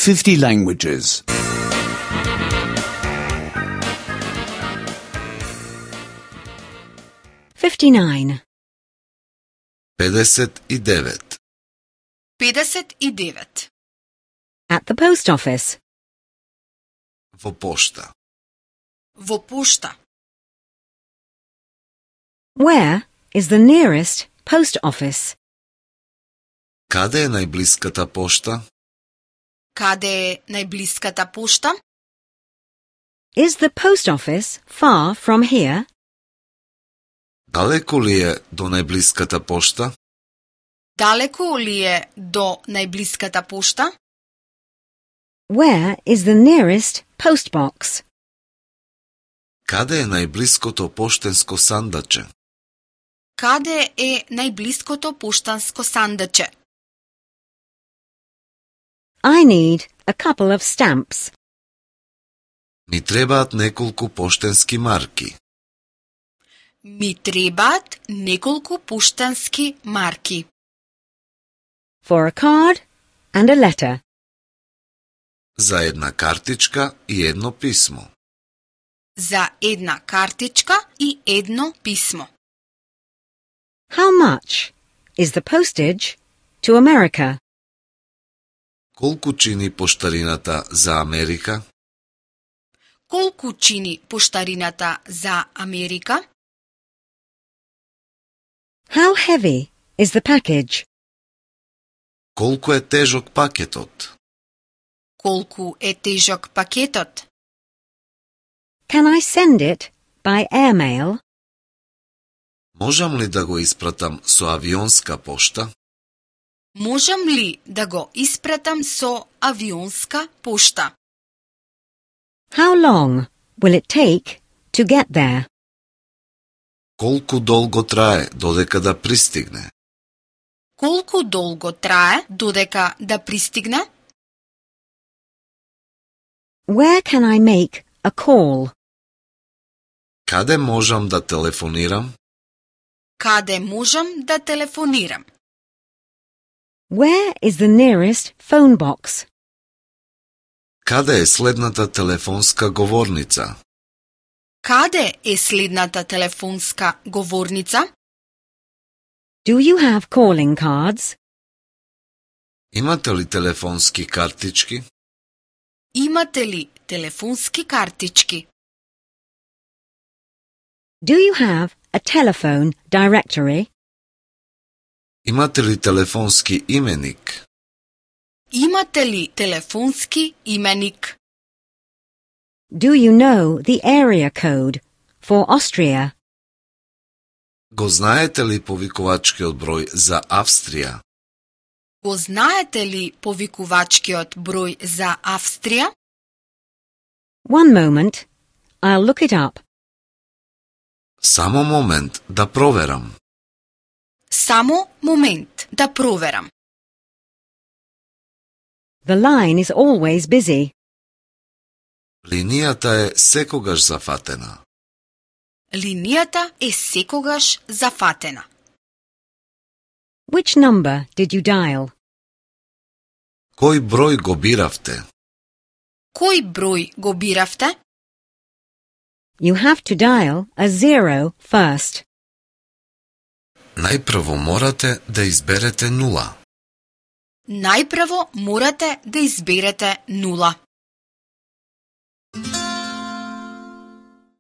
50 languages. 59. 59. 59. At the post office. Во пошта. Во пошта. Where is the nearest post office? Каде е најблиската пошта? Каде е најблиската пошта? Is the post office far from here? Далеко ли е до најблиската пошта? Далеко ли е до најблиската пошта? Where is the nearest post box? Каде е најблиското поштенско сандаче? Каде е најблиското поштанско сандаче? I need a couple of stamps. Ми требаат неколку поштенски марки. Ми требаат неколку поштански марки. For a card and a letter. За една картичка и едно писмо. За една картичка и едно писмо. How much is the postage to America? Колку чини поштарината за Америка? Колку чини поштарината за Америка? How heavy is the package? Колку е тежок пакетот? Колку е тежок пакетот? Can I send it by airmail? Можам ли да го испратам со авионска пошта? Можам ли да го испратам со авионска пошта? How long will it take to get there? Колку долго трае додека да пристигне? Колку долго трае додека да пристигне? Where can I make a call? Каде можам да телефонирам? Каде можам да телефонирам? Where is the nearest phone box? Каде е следната телефонска говорница? Каде е следната телефонска говорница? Do you have calling cards? Имате ли телефонски картички? Имате ли телефонски картички? Do you have a telephone directory? Имате ли телефонски именик? Имате ли телефонски именик? Do you know the area code for Austria? Го знаете ли повикувачкиот број за Австрија? Го знаете ли повикувачкиот број за Австрија? One moment, I'll look it up. Само момент да проверам. Само момент да проверам. The line is always busy. Линијата е секогаш зафатена. Линијата е секогаш зафатена. Which number did you dial? Кој број го биравте? Кој број го биравте? You have to dial a 0 first. Најпрво морате да изберете нула. Најпрво морате да изберете нула.